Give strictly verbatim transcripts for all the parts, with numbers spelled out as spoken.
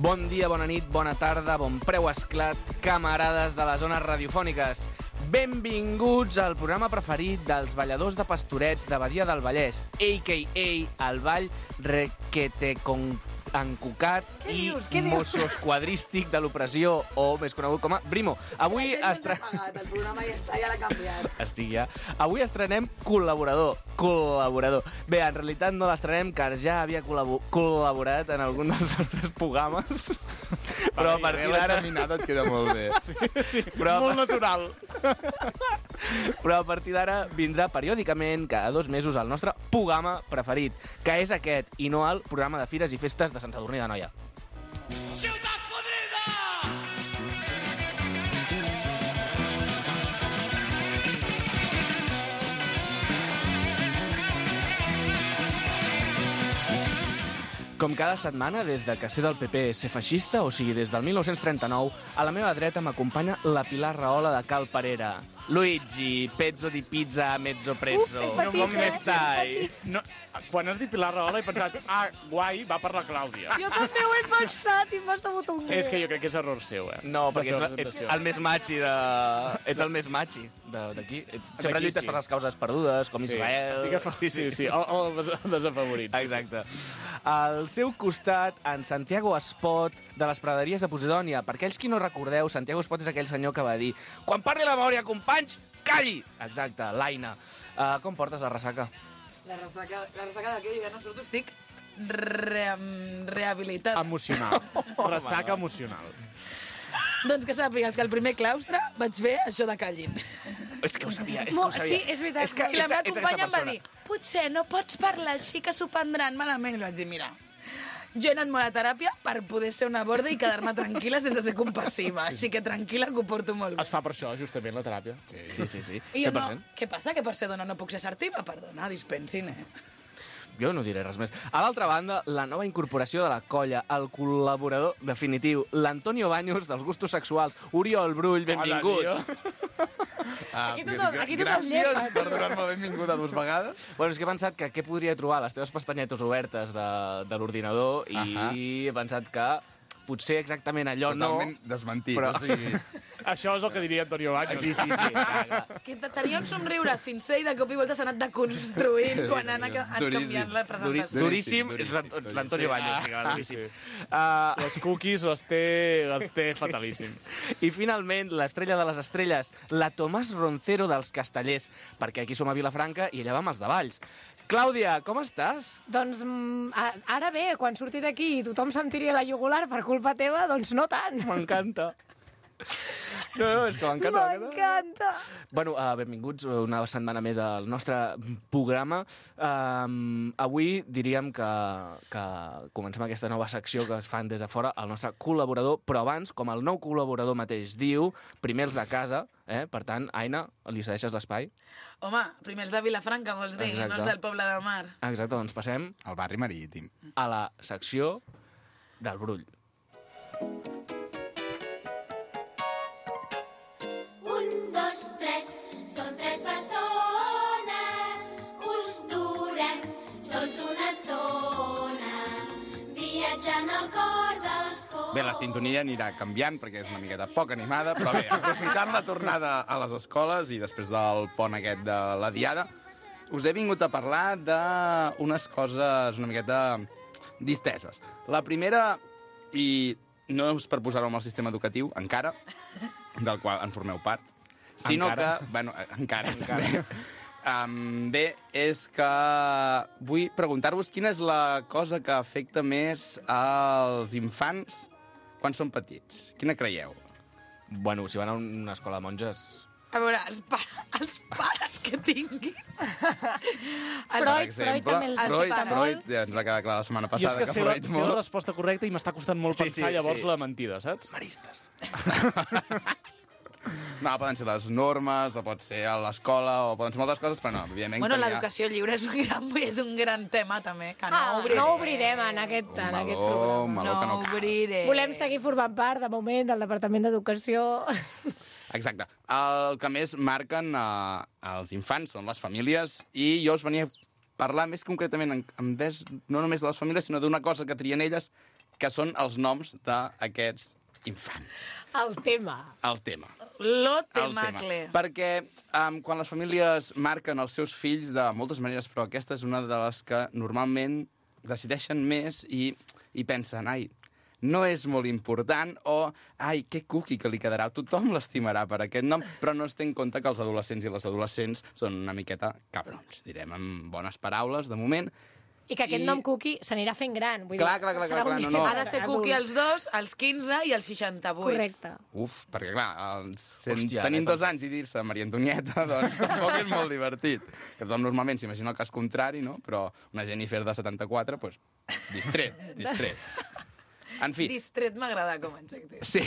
Bon dia, bona nit, bona tarda, bon preu esclat, camarades de les zones radiofòniques. Benvinguts al programa preferit dels balladors de pastorets de Badia del Vallès, a k a el ball requetecon encucat i mossoesquadrístic de l'opressió, o més conegut com a Brimo. Avui estrenem... El programa ja està, ja l'ha canviat. Estic ja. Avui estrenem col·laborador. Col·laborador. Bé, en realitat no l'estrenem, car ja havia col·labo col·laborat en algun dels nostres programes. Però a partir d'ara... L'examinada et queda molt bé. Sí, sí. Però molt natural. Però a partir d'ara vindrà periòdicament, cada dos mesos, el nostre programa preferit, que és aquest, i no el programa de fires i festes de Sant Sadurní d'Anoia. Ciutat podrida! Com cada setmana, des de que sé del P P ser feixista, o sigui, des del mil nou-cents trenta-nou, a la meva dreta m'acompanya la Pilar Rahola de Cal Parera. Luigi, pezzo di pizza, mezzo prezzo. Uf, ben petit, Com eh? estai? No, quan has dit Pilar Rahola he pensat, ah, guai, va per la Clàudia. Jo també ho he pensat i m'ha sabut un greu. És que jo crec que és error seu, eh? No, perquè La ets, ets presentació. el més machi de... Ets el més machi de- d'aquí. Sempre D'aquí, lluites sí. per les causes perdudes, com Sí, Israel... estic a... Sí, sí, sí, el, el des- desafavorit. Exacte. Al seu costat, en Santiago Espot, de les praderies de Posidònia. Per aquells qui no recordeu, Santiago Espot és aquell senyor que va dir «Quan parli la memòria, companys, calli!» Exacte, l'Aina. Uh, com portes la ressaca? La ressaca, la ressaca de què? Jo ja no surto, estic re rehabilitada. Emocional. Ressaca emocional. Doncs que sàpigues que al primer claustre vaig fer això de callin. És que ho sabia, és que Mo- ho sabia. sí, és veritat. És que I la ets- meva ets companya aquesta em va dir potser no pots parlar així que s'ho prendran malament. I vaig dir, mira, jo he anat molt a teràpia per poder ser una borda i quedar-me tranquil·la sense ser compassiva. Així que tranquil·la, que ho porto molt bé. Es fa per això, justament, la teràpia. Sí, sí, sí. I jo cent per no, cent. què passa? Que per ser dona no puc ser assertiva? Perdona, dispensin, eh? Jo no diré res més. A l'altra banda, la nova incorporació de la colla, el col·laborador definitiu, l'Antonio Baños dels gustos sexuals. Oriol Brull, benvingut. Ah, Aquí tothom, aquí tothom gràcies llepa. per donar-me la benvinguda dues vegades. Bueno, és que he pensat que què podria trobar a les teves pestanyetes obertes de, de l'ordinador i Ahà. he pensat que potser exactament allò Totalment no... desmentit, però- o sigui... Això és el que diria Antonio Baños. Sí, sí, sí. Clar, clar. Que tenia un somriure sincer i de cop i volta s'ha anat deconstruint quan han, han Duríssim. canviat la presentació. Duríssim, és duríssim, l'Ant- duríssim. l'Antonio Sí. Baños. Ah, Sí, clar, duríssim. sí. Uh, Les cookies les té, les té fatalíssim. I finalment, l'estrella de les estrelles, la Tomàs Roncero dels Castellers, perquè aquí som a Vilafranca i allà vam els de Valls. Clàudia, com estàs? Doncs mm, a- ara bé, quan surti d'aquí i tothom se'm tiri a la jugular per culpa teva, doncs no tant. M'encanta. No, no, és que m'encanta. M'encanta. Bueno, uh, benvinguts una setmana més al nostre programa. Um, avui diríem que, que comencem aquesta nova secció que es fan des de fora, el nostre col·laborador, però abans, com el nou col·laborador mateix diu, primer els de casa, eh? Per tant, Aina, li cedeixes l'espai? Home, primer els de Vilafranca, vols dir, Exacte. no els del Poble de Mar. Exacte, doncs passem El barri marítim. a la secció del Brull. Un, dos, tres, són tres bessones, us durem sols una estona, viatjant al cor dels cors. Bé, la sintonia anirà canviant perquè és una miqueta poc animada, però bé, aprofitant la tornada a les escoles i després del pont aquest de la Diada, us he vingut a parlar d'unes coses una miqueta disteses. La primera, i no és per posar-ho amb el sistema educatiu, encara, del qual en formeu part, sinó Encara? que... Bueno, encara, encara. Um, bé, és que vull preguntar-vos quina és la cosa que afecta més als infants quan són petits. Quina creieu? Bueno, si van a una escola de monges... A veure, els, pa els pares que tinguin... Freud, Freud també els Freud, pares. Freud, ja ens va quedar clar la setmana Jo és passada que que sé la, Freud sé la molt... resposta correcta i m'està costant molt Sí, pensar sí, llavors sí. la mentida, saps? Maristes. No, poden ser les normes, o pot ser a l'escola, o poden ser moltes coses, però no, evidentment... Bueno, que hi ha l'educació lliure és un, gran, és un gran tema, també, que no Ah, obrirem. no obrirem en aquest, Un en meló, aquest programa. un meló No que no cal. obrirem. Volem seguir formant part, de moment, del Departament d'Educació. Exacte. El que més marquen eh, els infants són les famílies, i jo us venia a parlar més concretament en, en ves, no només de les famílies, sinó d'una cosa que trien elles, que són els noms d'aquests infants. El tema. El tema. Lo El temacle. Perquè um, quan les famílies marquen els seus fills de moltes maneres, però aquesta és una de les que normalment decideixen més i, i pensen, ai, no és molt important, o ai, que cuqui que li quedarà, tothom l'estimarà per aquest nom, però no es té en compte que els adolescents i les adolescents són una miqueta cabrons, direm amb bones paraules, de moment. I que aquest I- nom Cookie s'anirà fent gran. Vull Clar, dir, clar, clar, serà clar, un no, no. Ha de ser adult. Cookie els dos, als quinze i als seixanta-vuit. Correcte. Uf, perquè clar, els, sent, Hòstia, tenint eh, dos anys i dir-se Maria Antonieta, doncs tampoc és molt divertit. Que tothom normalment s'imagina el cas contrari, no? Però una Jennifer de setanta-quatre, doncs, distret, distret. En fi, Distret m'agrada com a adjectiu. sí.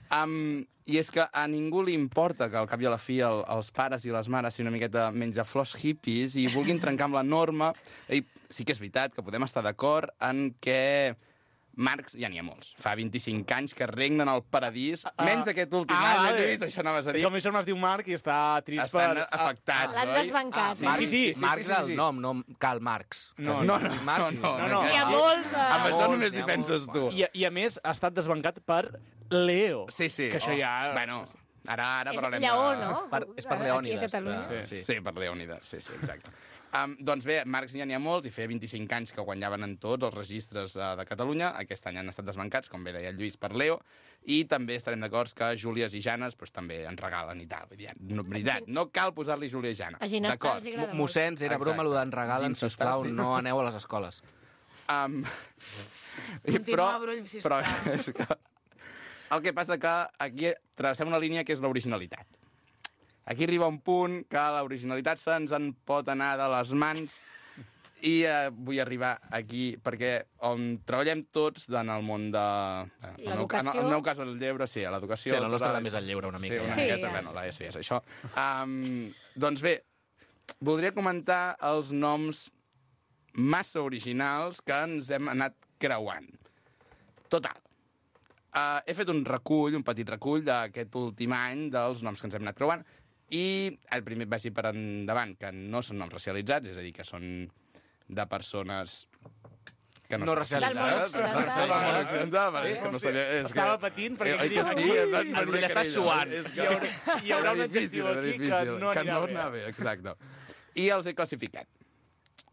Um, I és que a ningú li importa que al cap i a la fi el, els pares i les mares siguin una miqueta menjaflors hippies i vulguin trencar amb la norma. I sí que és veritat que podem estar d'acord en que marcs ja n'hi ha molts. Fa vint-i-cinc anys que regnen al paradís, menys aquest últim ah, any, vale. Lluís, això anaves a És dir. que el meu germà es diu Marc i està trist Estan per... afectats, L'han oi? desbancat. sí, eh? sí, sí. Marx sí, és el sí. nom, no Karl Marx. No, No, no, Marx, no, no, no. Hi ha molts... Eh... Amb això molts, només n'hi hi ha penses molts. tu. I, I a més ha estat desbancat per Leo. Sí, sí. Que això ja... Bueno, ara, ara És parlarem Lleó, de... no? Per, és per Aquí a Leònides. Catalunya. Sí. Sí, per Leònides, sí, sí, exacte. Um, doncs bé, marcs ja n'hi ha molts, i feia vint-i-cinc anys que guanyaven en tots els registres uh, de Catalunya. Aquest any han estat desbancats, com bé deia el Lluís, per Leo, i també estarem d'acord que Júlies i Janes pues, també en regalen i tal. Vull dir, no, veritat, no cal posar-li Júlia i Jana. A Ginestà D'acord. els agrada molt. Mossens, era broma, Exacte. allò d'en regalen, Ginestà, sisplau, sí. no aneu a les escoles. Um, Continua, Brull, sisplau. però és que, el que passa que aquí travessem una línia que és l'originalitat. Aquí arriba un punt que l'originalitat se'ns en pot anar de les mans i eh, vull arribar aquí perquè on treballem tots en el món de... eh, el meu- L'educació. En el meu cas, el lleure, sí, a l'educació... Sí, la nostra tota- va més al lleure, una mica. Sí, una Sí, miqueta, ja. bueno, la ESO ja és això. Um, doncs bé, voldria comentar els noms massa originals que ens hem anat creuant. Total. Uh, he fet un recull, un petit recull d'aquest últim any dels noms que ens hem anat creuant i el primer vagi per endavant, que no són noms racialitzats, és a dir, que són de persones que no, No són racialitzades. Del món occidental. Del món occidental, vale, que no sabia, és Estava que... patint perquè Eh, oi que diria, sí, ui, et van el venir Brull a està querella, suant. és Hi haurà, hi haurà un era adjectiu difícil, era aquí que difícil, no que anirà no bé. anava bé, exacte. I els he classificat.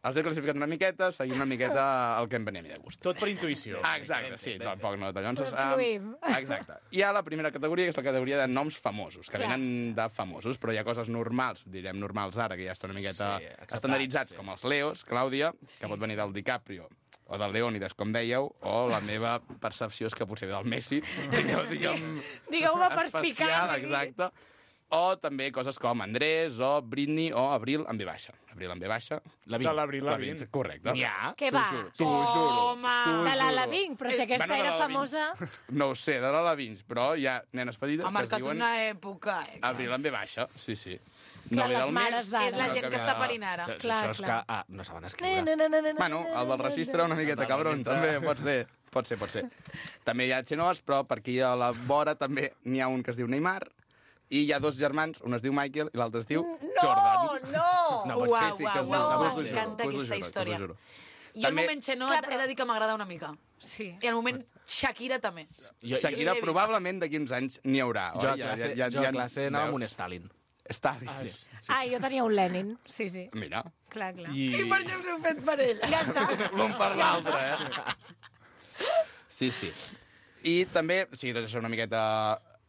Els he classificat una miqueta, seguint una miqueta el que em venia a mi de gust. Tot per intuïció. Ah, exacte, sí, tampoc no tallonses. Però fluïm. Exacte. Hi ha la primera categoria, que és la categoria de noms famosos, que Clar. venen de famosos, però hi ha coses normals, direm normals ara, que ja estan una miqueta Sí, acceptats, estandarditzats, sí. com els Leos, Clàudia, que pot venir del DiCaprio, o del Leònides, com dèieu, o la meva percepció és que potser ve del Messi, digueu, diguem, Digueu-me especial, perspicaç. exacte. O també coses com Andrés, o Britney, o Abril amb V baixa. Abril amb V baixa. La De l'Abril Lavigne, Lavigne. correcte. N'hi ha? Què T'ho va? juro, t'ho juro. Home! t'ho De la juro. Lavigne, però si Eh, aquesta bueno, de era la Lavigne. famosa... No ho sé, de la Lavigne, però hi ha nenes petites Ha que es marcat diuen una època, eh? Abril amb V baixa, sí, sí. Clar, ve les del mares mes, d'ara. És la sinó gent que ve està de- parint ara. Això, Clar, això és que... clar. Ah, no saben Na, escriure. na, na, na, na, Bueno, el del registre una miqueta El del cabron, registre. també, pot ser, pot ser, pot ser. També hi ha xenors, però per aquí a la vora també n'hi ha un que es diu Neymar, i hi ha dos germans, un es diu Michael i l'altre es diu Jordan. No, No, no! pot Uau, ser, sí, uau, que us- uau, us ho uau, juro, m'encanta us ho aquesta juro, història. us ho juro. I el També- moment Xenó Clar, he però- de dir que m'agrada una mica. Sí. I el moment Shakira també. Jo, Shakira, l'he vist. probablement d'aquí uns anys n'hi haurà. jo, a oi? classe, jo a classe anava amb un Stalin. Stalin. Sí. Ah, jo tenia un Lenin, sí, sí. Mira, Clar, clar. I... I per això us heu fet per ell. Ja està. l'un per l'altre, eh? Sí, sí. I també, sí, tot això una miqueta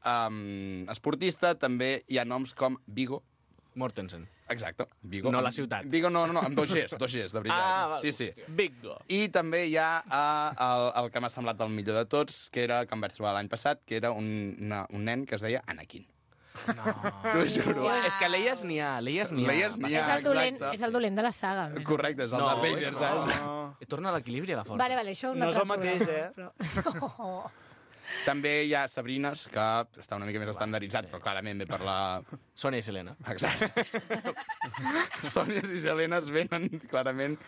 um, esportista, també hi ha noms com Vigo. Mortensen. Exacte, Vigo. No la ciutat. Vigo no, no, no, amb dos Gs, dos Gs, de veritat. Ah, val. Sí, sí. Bingo. I també hi ha uh, el, el que m'ha semblat el millor de tots, que era que em vaig trobar l'any passat, que era un, una, un nen que es deia Anakin. No. T'ho juro. És que Leies n'hi ha, Leies n'hi ha. Leies n'hi És ha, el, dolent, exacte. és el dolent de la saga. a més. Correcte, és el No, Darth Vader, és- saps? No. Torna a l'equilibri a la força. Vale, vale, això un No és altre el mateix, programa, Però... També hi ha Sabrines, que està una mica més estandarditzat, però clarament ve per la... Sònia i Selena. Exacte. Sònies i Selenes venen clarament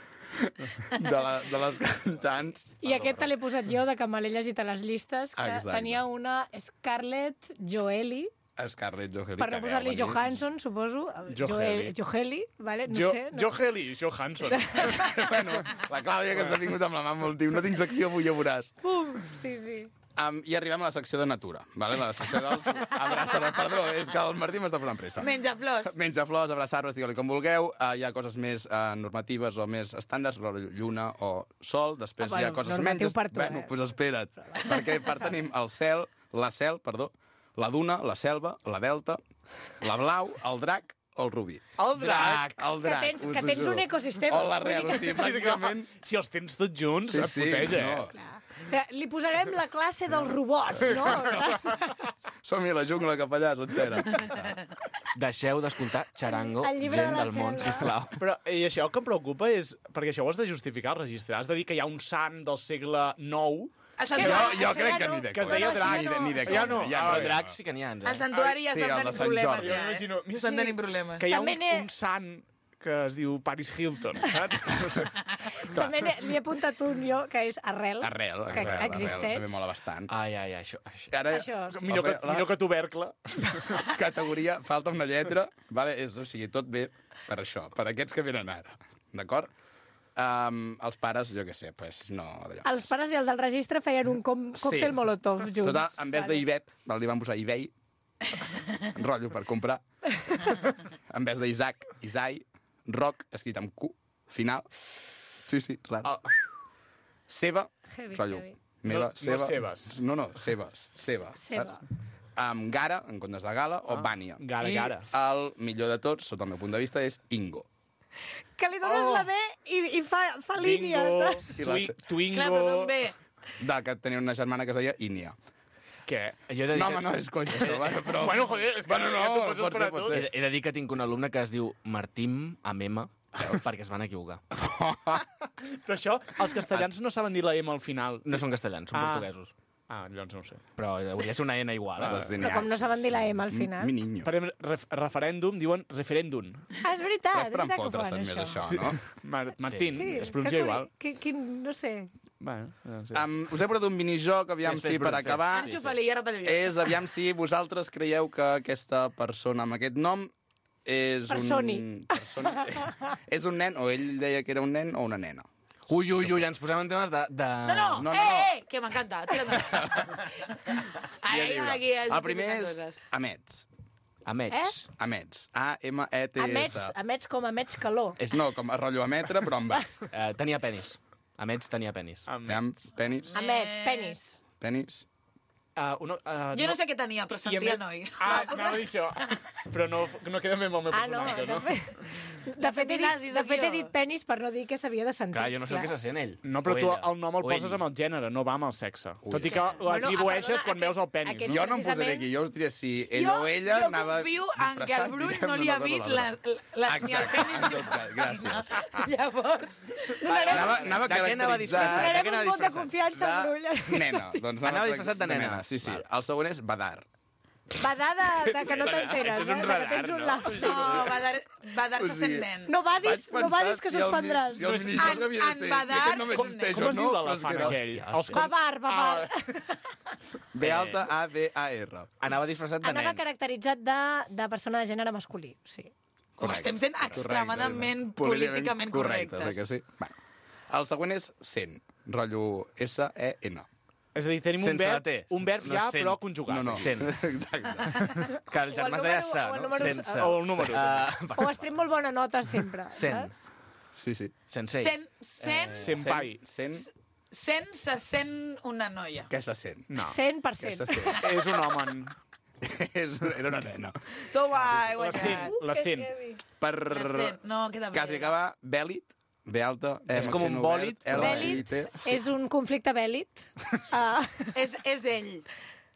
de, la, de les cantants. I aquest te l'he posat jo, de que me l'he llegit a les llistes, que Exacte. tenia una Scarlett Joely, Scarlett Johansson. Per no que posar-li veu venir. Johansson, suposo. Joheli. Joheli, vale? No Jo, sé. No. Joheli Johansson. Bueno, la Clàudia, que s'ha vingut amb la mà molt tio. No tinc secció, avui ja veuràs. Pum! Sí, sí. Um, I arribem a la secció de natura, vale? La secció dels abraçar... Perdó, és que el Martí m'està posant pressa. Menja flors. Menja flors, abraçar-vos, digue-li com vulgueu. Uh, hi ha coses més uh, normatives o més estàndards, lluna o sol. Després Ah, hi ha bueno, coses normatiu menys... per tu, bueno, eh? pues espera't. Perquè per tenim el cel, la cel, perdó, la duna, la selva, la delta, la blau, el drac o el rubí. El drac. El drac, Que tens- us que ho tens juro. un ecosistema. O l'arrel, o sigui, pràcticament... Si els tens tots junts, Sí, et sí, puteja, no. eh? Eh, Li posarem la classe dels robots, no? Som-hi a la jungla cap allà, sencera. Deixeu d'escoltar Charango, El llibre gent de la del món, selva. sisplau. Però i això el que em preocupa és... Perquè això ho has de justificar al registre. Has de dir que hi ha un sant del segle nou... El Jo, santuari, jo això crec ja que no. ni de Que es conya. deia No, no, drac. això ja no. Ni de Ja conya. no. Ja Ah, no. bé. Dracs sí que n'hi ha, el eh? santuari ja Sí, estan el de tenint Sant problemes. Jordi. Ja, Jo eh? m'imagino, mira, Estan sí, tenint problemes. Que hi ha un, També n'he- un sant que es diu Paris Hilton, saps? No sé. També n'he- li he apuntat un jo, que és Arrel. Arrel, que arrel, arrel, existeix. també mola bastant. Ai, ai, ai, això... això. Ara, Això, sí. Millor que, la millor que tubercle. categoria, falta una lletra, vale? És, o sigui, tot bé per això, per aquests que venen ara, d'acord? Um, els pares, jo què sé, pues no... D'allò. Els pares i el del registre feien un com còctel molotov junts. Total, en vez d'Ivet, val, li van posar Ibei, rotllo per comprar. En vez d'Isaac, Isai, Roc, escrit amb Q, final. Sí, sí, raro. Ah, Seva, Heavy, rotllo, heavy. meva, No- no seva... Seves. No, no, Seves, Seva. Seva. saps? Amb Gara, en comptes de Gala, o Ah, Bània. Gara, I Gara. el millor de tots, sota el meu punt de vista, és Ingo. Que li dones Oh. la B i, i fa, fa Bingo, línies, saps? I la twi se- Twingo... Clar, però d'on ve? De que tenia una germana que es deia Inia. Què? Jo he de dir No, que- home, no és conya, això, vale, però... Bueno, joder, és que Bueno, no, ja t'ho pots pot esperar ser, pot tot. ser. He, de- he de dir que tinc un alumne que es diu Martim Amema, perquè es van equivocar. Però això, els castellans no saben dir la M al final. No són castellans, són Ah. portuguesos. Ah, llavors no ho sé. Però hauria de ser una N igual. Ah, Eh? Les Però com no saben dir la M al final. Mi niño. Per exemple, ref referèndum diuen referèndum. Ah, és veritat, Però és és per veritat que ho enfotre's fan, més, això. això, no? Mar Martín, Sí, es pronuncia que igual. Que, que, no sé. Bueno, no sé. Um, us he portat un minijoc, aviam Fes, fes, si per Brut, fes. acabar... Sí, sí. Enxufa-li i ara t'ho dic. És, aviam si vosaltres creieu que aquesta persona amb aquest nom és Personi. un... Personi. És un nen, o ell deia que era un nen o una nena. Ui, ui, ui, ens posem en temes de... de... No, no, No, no, eh, no. eh, que m'encanta. Tira't Ai, aquí és El primer és coses. Amets. Amets. Amets. A M E T Amets, S. amets com amets calor. És... No, com a rotllo a metre, però amb A. Eh, tenia penis. Amets tenia penis. Am- Aviam, penis, Amets, penis. penis. Uh, uno, uh, Jo no sé què tenia, però I a sentia més- noi. Ah, anava a dir això. Però no, no queda bé amb el meu Ah, no, personatge, de no? fet, de fet, he dit, nazis, de fet he aquí, dit penis per no dir que s'havia de sentir. Clar, jo no sé el que se sent ell. No, però O tu ella. el nom el O poses ell. amb el gènere, no va amb el sexe. Ui. Tot i que l'atribueixes Bueno, ah, quan perdona, veus el penis. aquest- No? Jo no em posaré precisament- aquí, jo us diré si ell Jo, o ella jo anava confio en que el disfressat, Brull diguem, no li ha d'una cosa vist o la, l'altra. la, ni el Exacte, penis en tot cas, gràcies. Llavors, Anava, anava De què anava disfressat? caracteritzat De què Donarem anava un vot de disfressat? confiança al Brull. de nena. Doncs Anava disfressat de nena. Sí, sí. Val. El següent és Badar. Badar de, de que no t'enteres, Això és eh? un De que radar, tens un no? lap. no, va dar, va dar-se O sigui, sent nen. No badis, Vaig no badis pensar que si el mi- suspendràs. Si el minijoc En- havia de en ser... Badar, si aquest només com- existeix Com o es no, diu però és l'elefant que no. aquell? Hòstia, Els com- Babar, babar. B alta A D A R. Anava disfressat de Anava nen. caracteritzat de, de persona de gènere masculí, sí. Com estem sent extremadament políticament correctes. correctes. Eh, que sí? Bueno. El següent és cent, rotllo S E N. És a dir, tenim un Sense la verb, T. un verb No ja, sent. però conjugat. No, no. Cent. Exacte. Que el germà es deia número- Sa, o el no? número- Sense. O el número. Uh, O has tret molt bona nota sempre, Cent. saps? Sí, sí. Sensei. Sent, sent, Eh, Senpai. Cent, sent se sent una noia. què se sent? No. cent per Què cent. se sent? És un home. És- Era una nena. Tu va, he La cent. guanyat. La cent. Per La cent. No, queda bé. quasi acabar, Bèlit, B alta, E És com un accent bòlit, obert, L I Bèlit T. és un conflicte bèl·lit. Uh, És, és ell.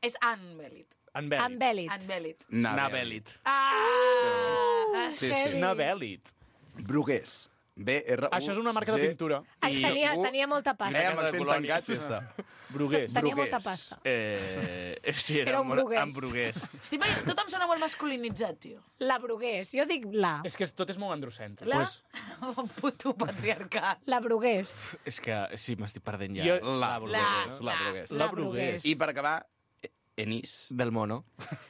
És Ann Bèlit. En amb Bèlit. bèl·lit. Ann Bèlit. Nabèlit. Ah! Sí, sí. Una Bèlit. Brugués. B R U Això és una marca de pintura. Ens tenia, U- tenia molta Eh, pasta. amb accent Colònia. tancat, sí està. Brugués. Tenia Brugués. molta pasta. Eh, sí, era, Era un molt- brugués. amb brugués. Estic veient, tot em sona molt masculinitzat, tio. La Brugués. Jo dic la. És que tot és molt androcèntric. La... Pues- Un puto patriarcat. La Brugués. És que sí, m'estic perdent ja. Jo- La La, Brugués. La la. Brugués. La Brugués. I per acabar, Enís. Del mono.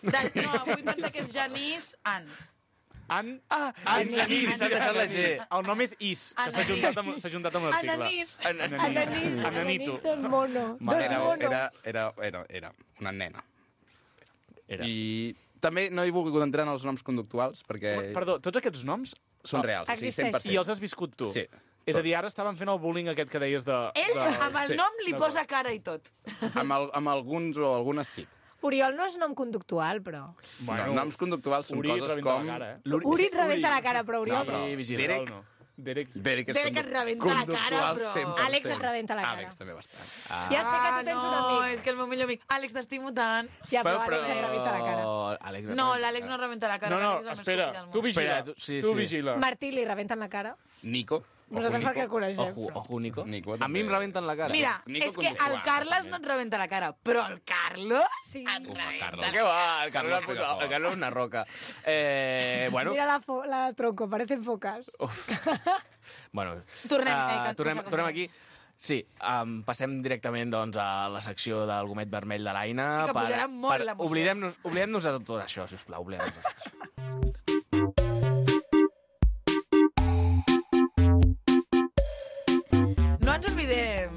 De, no, vull pensar que és Janís An. An... Ah, Anís. Anís, s'ha deixat la G. El nom és Is, que s'ha juntat amb, s'ha juntat amb l'article. Ananís. Ananís, Ananís. Ananís del mono. Vale, Dos Era, mono. era, era, era, era una nena. Era. I també no he volgut entrar en els noms conductuals perquè Perdó, tots aquests noms... són reals, o sigui, cent per cent. I els has viscut tu? Sí. És a dir, ara estaven fent el bullying aquest que deies de... Ell, de... amb el sí. nom, li posa cara i tot. Amb, el, amb alguns o algunes sí. Oriol no és nom conductual, però... Bueno, no, noms conductuals són Uri et coses rebenta com... la cara, eh? L'Uri- Uri et rebenta la cara, però No, Oriol... però Uri, vigila. Derek... Derek- No. Derek... Derek és Derek et condu- rebenta la cara, conductual però- cent per cent. Àlex et rebenta la cara. Àlex també bastant. Ah. Ja sé que tu tens un no, amic. és que el meu millor amic. Àlex, t'estimo tant. Ja, però Àlex et rebenta la cara. Àlex No, l'Àlex no rebenta la cara. No, no, l'Àlex és el més espera, copí del tu món. vigila. Espera, tu- sí, tu sí. vigila. Martí, li rebenten la cara? Nico. Nosaltres perquè el coneixem. Ojo, ojo, Nico. Nico A mi em també. rebenten la cara. Mira, Nico és que el conductual, Carles no et rebenta la cara, però el Carlos... Sí. et Ufa, rebenta. Carlos. Què va? El Carlos, Carlos puta- el Carlos és una roca. Eh, bueno, Mira la, fo la tronco, parecen focas. bueno Tornem, ah, eh, que- tornem, que- tornem aquí. Sí, um, passem directament doncs, a la secció del gomet vermell de l'Aina. Sí que pujarà molt l'emoció. Oblidem-nos oblidem de tot això, sisplau. Oblidem-nos de tot això. No ens oblidem,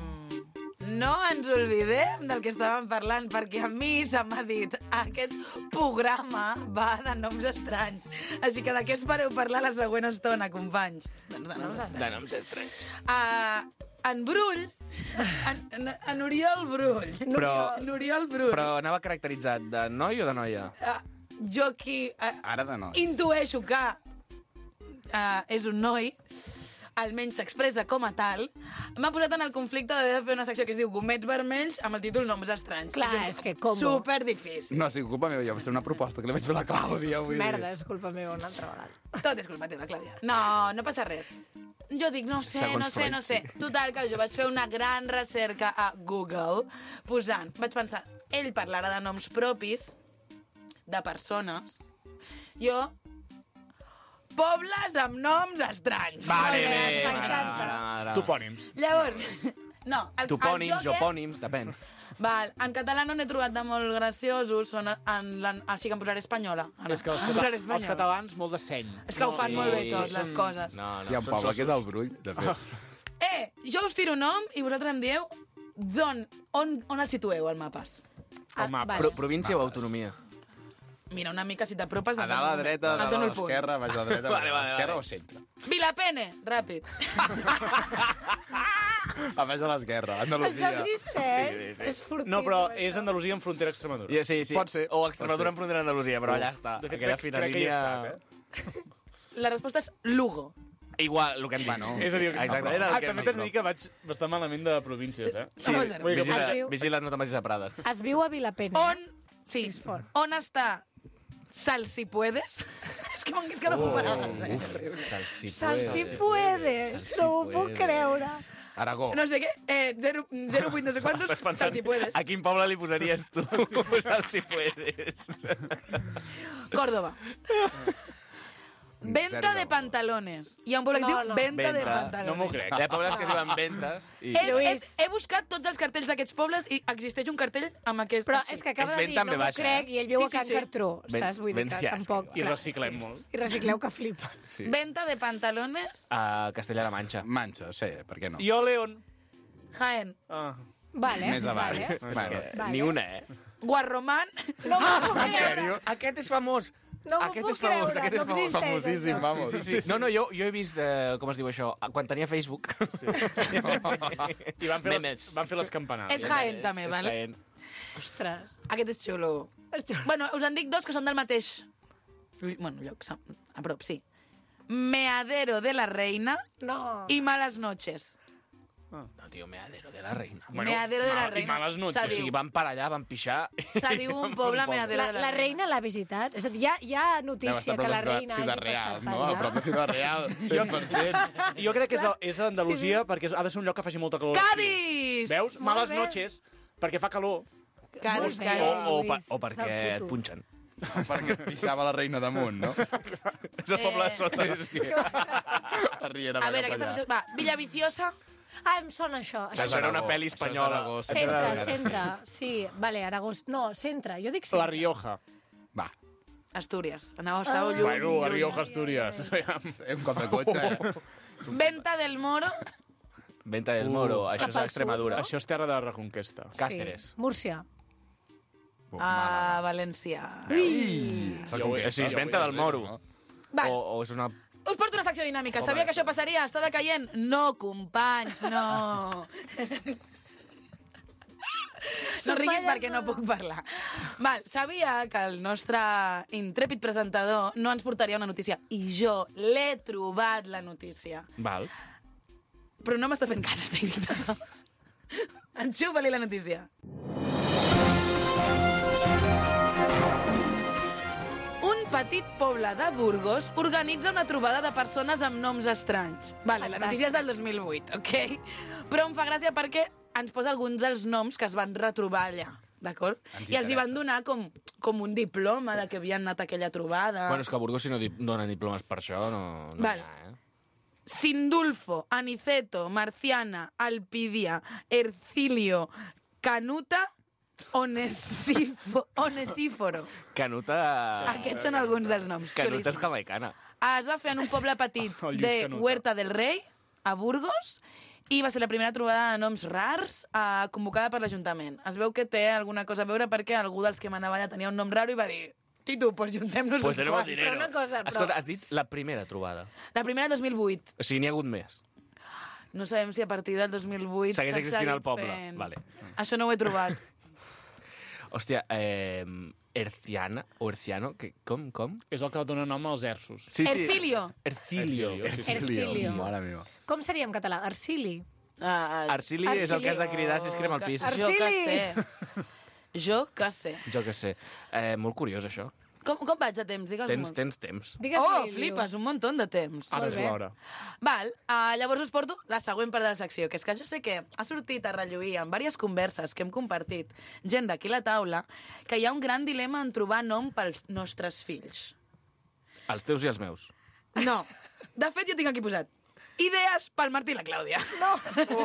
no ens oblidem del que estàvem parlant, perquè a mi se m'ha dit aquest programa va de noms estranys. Així que de què espereu parlar la següent estona, companys? Doncs de noms estranys. De noms estranys. Uh, en Brull, en, en, en Oriol Brull, Però, en Oriol Brull, però anava caracteritzat de noi o de noia? uh, jo aquí uh, Ara de noi. intueixo que uh, és un noi, almenys s'expressa com a tal, m'ha posat en el conflicte d'haver de fer una secció que es diu Gomets Vermells amb el títol Noms Estranys. Clar, un- és que com? Super difícil. No, ha sigut culpa meva, jo va ser una proposta que li vaig fer a la Clàudia. Vull Merda, és culpa meva una altra vegada. Tot és culpa teva, Clàudia. No, no passa res. Jo dic, no sé, Segons no sé, Freud, no sé. sí. Total, que jo vaig fer una gran recerca a Google posant, vaig pensar, ell parlarà de noms propis, de persones, jo, pobles amb noms estranys. Vale, Molt bé, bé. m'encanta. Ara, ara. Topònims. Llavors, no, el, Topònims, el joc és... jopònims, depèn. Val, en català no n'he trobat de molt graciosos, són en la, així que em posaré espanyola. Ara. És que els, Em cata posaré els espanyola. catalans, molt de seny. És que ho fan Sí, molt bé tot, són- les coses. No, no, Hi ha un són poble que és sossos. el Brull, de fet. Eh, jo us tiro nom i vosaltres em dieu d'on, on, on el situeu, al mapes. El mapa. Pro província o autonomia? Mira, una mica, si t'apropes... A et dalt a la dono- dreta, a et dalt dono a el punt. l'esquerra, baix a la dreta, Vale, a vale, l'esquerra vale. o centre. Vilapene, ràpid. A baix a l'esquerra, Això Andalusia. existeix? És furtiu. No, però és Andalusia en frontera a Extremadura. Ja, sí, sí. Pot ser, O pot Extremadura ser. en frontera d'Andalusia, però allà està. De fet, Aquella crec, fina crec que hi he línia... estat, eh? La resposta és Lugo. Igual, el que hem dit. Bueno. És a dir, Exacte, era el ah, que hem també dit, t'has de dir que vaig bastant malament de províncies, eh? Sí, No passa res. Vull dir que vigila, Es diu- vigila, no te'n vagis a Prades. Es viu a Vilapena. On, sí, És fort. on està Sal si puedes? És que m'engués que no puc parar de ser. Sal si Sal si puedes. puedes, Sal si no ho puc puedes. creure. Aragó. No sé què, eh, zero, zero vuit no sé quantos, Estàs Sal pensant si puedes. a quin poble li posaries tu? Sal si puedes. Córdoba. Venta Zero de de pantalones. Hi ha un poble que No, diu no. venta de Venta. pantalones. No m'ho crec. Hi ha pobles que es diuen ventes i... He, he, Lluís. he buscat tots els cartells d'aquests pobles i existeix un cartell amb aquest... Però així. és que acaba És de ben dir, també no m'ho baixa, crec, eh? i ell viu Sí, a sí, Can sí. Cartró, Ben- saps? Vull dir ben que fiasca. tampoc... I clar, reciclem molt. I recicleu que flipa. Sí. Venta de pantalones, A Castella-La Manxa. Manxa, sí, per què no? Jo, León. Jaén. Ah. Vale, Més avall. vale. És Bueno. que Vale. ni una, eh? Guarromán. No m'ho puc creure. Aquest és famós. No m'ho Aquest puc és famós, creure, aquest és no famós. existeix, Famosíssim, això. vamos. Sí, sí. No, no, jo, jo he vist, eh, com es diu això, quan tenia Facebook. Sí. I van fer, les, Memes. van fer les campanades. És Jaén, també, És vale? Jaén. Ostres. Aquest és xulo. És xulo. Bueno, us en dic dos que són del mateix... Bueno, lloc, a prop, sí. Meadero de la Reina No. i Malas Noches. No, tio, meadero de la reina. Meadero de la mal- i Reina. males noches. Se O sigui, diu, van per allà, van pixar... se diu un poble Meadero La, de la, la reina l'ha visitat? És a dir, hi ha, hi ha Deu notícia estar a que prop la de reina Ciudad hagi Real, passat no? per A prop de allà. Ciudad Real, cent per cent. Jo crec que és, és a Andalusia sí. perquè ha de ser un lloc que faci molta calor. Cádiz! Veus? Molt Males bé. noches, perquè fa calor. Cádiz, Molt bé. O, Cádiz. o, Lluís, pa, o és perquè el et puto. punxen. Perquè pixava la reina damunt, no? És el poble de sota. És que... A Riera A veure, aquesta... allà. Va, Villaviciosa. Ah, em sona això. Això Això era una Aragó, pel·li això és espanyola. Aragó, sí. Centre, Això era- centre. Sí, vale, Aragó. No, centre. Jo dic centre. La Rioja. Va, Astúries. Anava, estàveu lluny. Bueno, la lluny. Rioja, Astúries. un cop de cotxe, eh? Venta del Moro. Venta del Moro, això és Cap a al Extremadura. Això és terra de reconquesta. Cáceres. Sí. Múrcia. Buf, A Màlaga. Valencià. Jo ho he- O sigui, és jo ho he venta del dit, Moro. no? Val. O, o és una... Us porto una secció dinàmica. Sabia que això passaria? Està decaient? No, companys, no. No riguis perquè no puc parlar. Val, sabia que el nostre intrèpid presentador no ens portaria una notícia. I jo l'he trobat, la notícia. Val. Però no m'està fent cas, el tècnic de so. Enxufa-li la notícia. Un petit poble de Burgos organitza una trobada de persones amb noms estranys. Vale, la notícia és del dos mil vuit, ok? Però em fa gràcia perquè ens posa alguns dels noms que es van retrobar allà, d'acord? Ens I els hi van interessa. donar com, com un diploma de que havien anat a aquella trobada. Bueno, és que a Burgos, si no di donen diplomes per això, no, no Vale. hi ha, eh? Sindulfo, Aniceto, Marciana, Alpidia, Ercilio, Canuta, Onesifo, Onesíforo. Canuta... Aquests són alguns dels noms. Canuta és xulíssim. jamaicana. Ah, es va fer en un poble petit El Lluís de Canuta. Huerta del Rei, a Burgos, i va ser la primera trobada de noms rars eh, convocada per l'Ajuntament. Es veu que té alguna cosa a veure perquè algú dels que manava allà tenia un nom raro i va dir Titu, pues juntem-nos Pues uns tenemos quants. dinero. Però una cosa, però- Escolta, has dit la primera trobada. La primera del dos mil vuit. O sigui, n'hi ha hagut més. No sabem si a partir del dos mil vuit Segueix s'ha existint seguit el poble. fent. Vale. Això no ho he trobat. Hòstia, eh, Erciana o Erciano, que, com, com? És el que dona nom als ersos. Sí, sí. Ercilio. Ercilio. Ercilio, sí, sí. Ercilio. Mare meva. Com seria en català? Arcili. Uh, Arcili és el que has de cridar si es crema el pis. Jo que Arcili. sé. Jo que sé. Jo que sé. Eh, molt curiós, això. Com, com vaig de temps? Digues Tens, tens temps. Digues Oh, Liliu. flipes, un munt de temps. Ara Molt és bé. l'hora. Val, uh, llavors us porto la següent part de la secció, que és que jo sé que ha sortit a relluir en diverses converses que hem compartit gent d'aquí a la taula que hi ha un gran dilema en trobar nom pels nostres fills. Els teus i els meus. No. De fet, jo tinc aquí posat idees pel Martí i la Clàudia. No.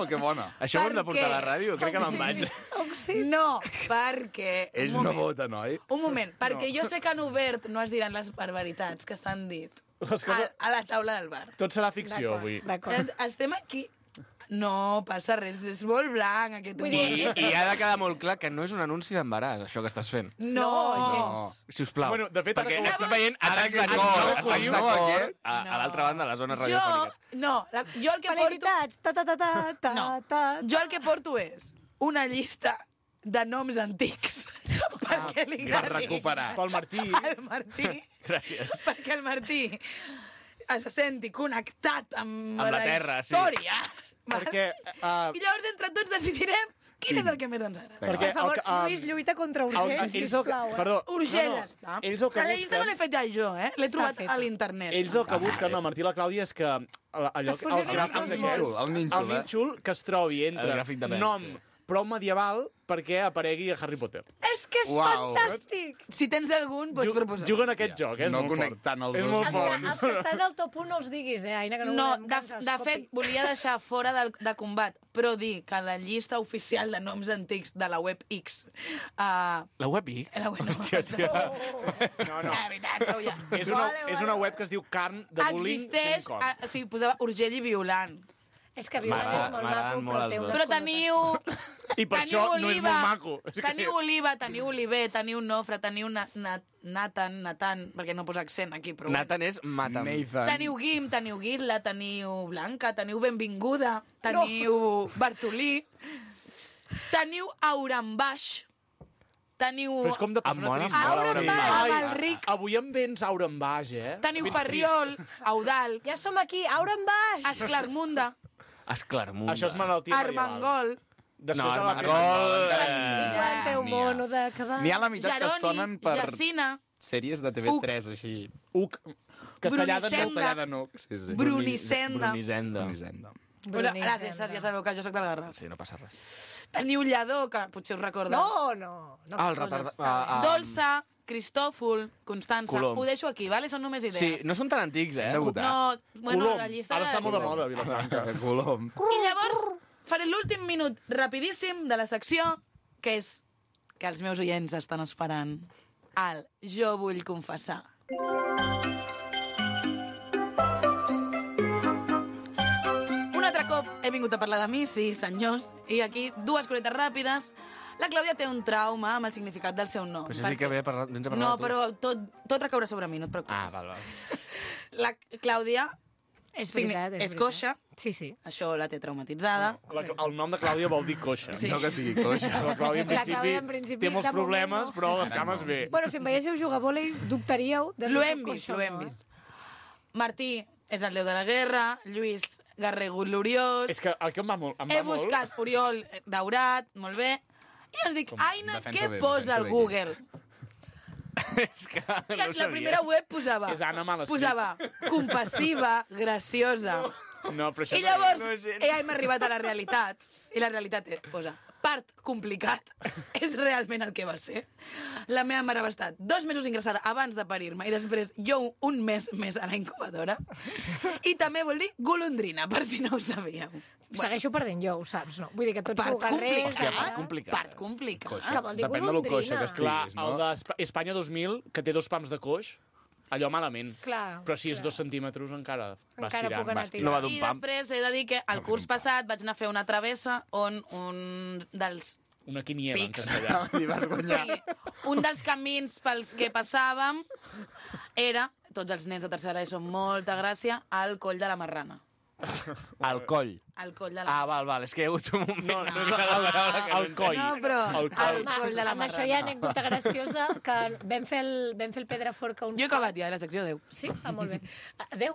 Oh, que bona. Això ho hem de Per portar a la què? ràdio? Crec que me'n vaig. No, perquè... Ells un no moment. voten, oi? Un moment, perquè jo sé que en obert no es diran les barbaritats que s'han dit Les a, coses... a la taula del bar. Tot serà ficció, avui. D'acord. Es- Estem aquí... No, passa res, és molt blanc aquest Vull humor. dir- I, I ha de quedar molt clar que no és un anunci d'embaràs, això que estàs fent. No, gens. Sisplau. Bueno, de fet, ara perquè que ho estic estàs- veient atacs de ara que cor, no ho atacs acollim, de no, cor aquest? a, a l'altra banda de les zones Jo, radiofòniques. no, la, jo el que porto... Felicitats! Ta, ta, ta, ta, ta, No, ta, jo el que porto és una llista de noms antics perquè li per agradi recuperar. Pel Martí... al Martí, Gràcies. perquè el Martí es senti connectat amb, Amb la terra, sí. història. Perquè... Uh, I llavors entre tots decidirem quin és el que més ens agrada. perquè Per favor, el, que, um, Lluís, lluita contra el, Urgell, ells el, sisplau. eh? perdó, Urgell, no, ja no. està. Ells el que La llista no l'he busquen... fet ja jo, eh? L'he trobat feta. a l'internet. Ells el que busquen, no, el Martí i la Clàudia, és que el- allò, Es fusionin els gràfics els d'aquests... nínxol, el nínxol, el eh? nínxol que es trobi El entre gràfic de Benz, nom sí. prou medieval perquè aparegui a Harry Potter. És que és Uau. fantàstic! Si tens algun, pots Ju- proposar. Juguen a aquest Hòstia, joc, eh? és no molt fort. connectant els És dos molt Els fort. que, els que estan al top un no els diguis, eh, Aina, que no, No, volem de, que ens de escolti. fet, volia deixar fora del, de combat, però dir que la llista oficial de noms antics de la web X... Uh, La web X? la web, Hòstia, tia. No, no. Ah, veritat, prou ja. És una, és una web que es diu carn de Existeix, bullying punt com. a, o sigui, posava Urgell i Violant. És que Violant M'agrada- és molt m'agraden maco, molt però els té dos. unes Però teniu... I per teniu això no és Oliva, molt maco. És que- Teniu Oliva, teniu Oliver, teniu Nofre, teniu na, na, Nathan, Nathan, perquè no posa accent aquí, però... bueno. Nathan és Matam. Nathan. Teniu Guim, teniu Guirla, teniu Blanca, teniu Benvinguda, teniu Bartolí, teniu Aurambaix, teniu... Però és com de Em persona mola trista. molt Aura Auram Baix, Baix. amb Ai, el Ric. avui em vens aura en baix, eh? Teniu Vens Ferriol, Eudal, Ja som aquí, Aura en baix! Esclarmunda, Esclarmunda. Això és malaltia medieval. Armengol, Després No, de la Armengol... pesta. Eh... Igual té un N'hi ha. mono de quedar. N'hi ha la meitat que Jeroni, sonen per Jacina, sèries de T V tres, així. Uc, castellà de Brunicenda. Castellà de nuc. Sí, sí. Brunicenda. Brunisenda. Brunisenda. Una, Bruníssim, gràcies, Sars, ja sabeu que jo soc del Garraf. Sí, no passa res. Teniu lladó, que potser us recordeu. No, no. no Ah, el coses, retard... està bé. ah, Dolça, Cristòfol, Constança. Colom. Ho deixo aquí, vale? Són només Sí, idees. no són tan antics, eh? Hem de votar. No, bueno, Colom. la llista Ara era està de molt de Colom. moda, Vilafranca. Colom. I llavors faré l'últim minut rapidíssim de la secció, que és que els meus oients estan esperant. El Jo vull confessar. Un altre cop he vingut a parlar de mi, sí, senyors, i aquí dues coretes ràpides. La Clàudia té un trauma amb el significat del seu nom. Però si sí que ve parlar, vens a parlar No, de tu. però tot, tot recaurà sobre mi, no et preocupis. Ah, val, val. La Clàudia És signi- veritat, és, és veritat. coixa, Sí, sí. això la té traumatitzada. La, el nom de Clàudia vol dir coixa. Sí. No que sigui coixa. La Clàudia, en La principi, Clàudia, en principi, té molts de moment, problemes, no. però les cames bé. Bueno, si em veiéssiu jugar a vòlei, dubtaríeu de si L'ho soc hem vist, coixa o l'ho hem no, eh? vist. Martí és el déu de la guerra, Lluís Garrego gloriós, És que el que em va molt... Em he va molt... buscat Oriol daurat, molt bé, i ens dic, Com? Aina, Defensa què bé, posa defensa al bé. Google? És que I no la ho sabies. primera web posava, És Anna mal escrit. posava compassiva, graciosa. No, però això I no- llavors, no és gens. eh, hem arribat a la realitat, i la realitat és, posa, part complicat, és realment el que va ser. La meva mare va estar dos mesos ingressada abans de parir-me i després jo un mes més a la incubadora. I també vol dir golondrina, per si no ho sabíeu. Segueixo perdent jo, ho saps, no? Vull dir que tots Part sou guerrers... Hòstia, complicat. part complicat. Part complicat. Que vol dir Depèn de lo coixa golondrina. que estigui. Clar, Diguis, no? el d'Espanya dos mil, que té dos pams de coix, allò malament. Clar, Però si és clar. dos centímetres encara vas Encara tirant. puc anar vas tirant. No va d'un I pam. després he de dir que el curs passat vaig anar a fer una travessa on un dels Una quiniela en Pics. castellà. I vas guanyar. Sí, un dels camins pels que passàvem era, tots els nens de tercera ESO amb molta gràcia, al coll de la Marrana. Al coll. Al coll de la Ah, val, val, és que hi ha hagut un moment... No, no, no és la paraula que no el coll. No, però El coll. al coll de la Amb això hi ha Marrana. anècdota graciosa que vam fer el, vam fer el Pedraforca uns Jo he acabat ja, eh, la secció deu. Sí? Ah, molt bé. Adéu.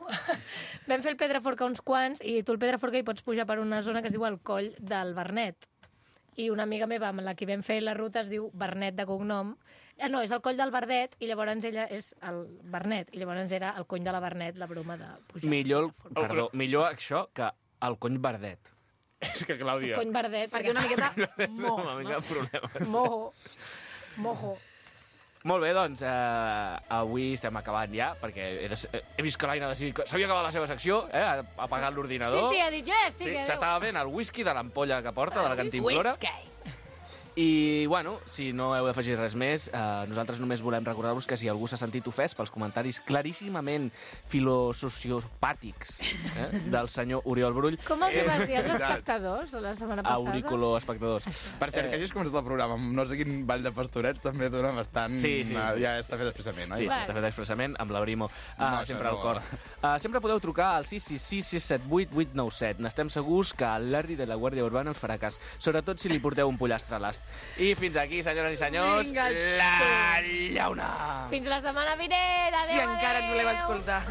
Vam fer el Pedraforca uns quants i tu el Pedraforca hi pots pujar per una zona que es diu el Coll del Bernet. I una amiga meva amb la que vam fer la ruta es diu Bernet de cognom. Eh, no, és el Coll del Verdet i llavors ella és el Bernet. I llavors era el cony de la Bernet, la broma de pujar. Millor, el- perdó, millor això que el cony verdet. És que, Clàudia, Cony Verdet. Perquè una miqueta mo. Una mica de problemes. Mojo. Mojo. Molt bé, doncs, eh, avui estem acabant ja, perquè he, de, he vist que l'Aina ha decidit que s'havia acabat la seva secció, eh, ha apagat Sí, l'ordinador. sí, ha dit, jo ja estic. Sí, adéu. s'estava bevent el whisky de l'ampolla que porta, de la cantimplora. Whisky. I, bueno, si no heu d'afegir res més, eh, nosaltres només volem recordar-vos que si algú s'ha sentit ofès pels comentaris claríssimament filosociopàtics eh, del senyor Oriol Brull, Com els hi vas dir als Exacte. espectadors la setmana passada? auriculo espectadors. Per cert, que hagis començat el programa amb no sé quin ball de pastorets també dona bastant... Sí, sí, eh, sí. Ja està fet expressament, oi? Sí, Vale. s'està fet expressament amb l'abrimo. Uh, No, això sempre al no. cor. Uh, sempre podeu trucar al sis sis sis sis set vuit vuit nou set. N'estem segurs que el Larry de la Guàrdia Urbana us farà cas, sobretot si li porteu un pollastre a l'ast. I fins aquí, senyores i senyors, Vinga, la llauna! Fins la setmana vinent. Adéu, Si encara ens voleu adéu. escoltar.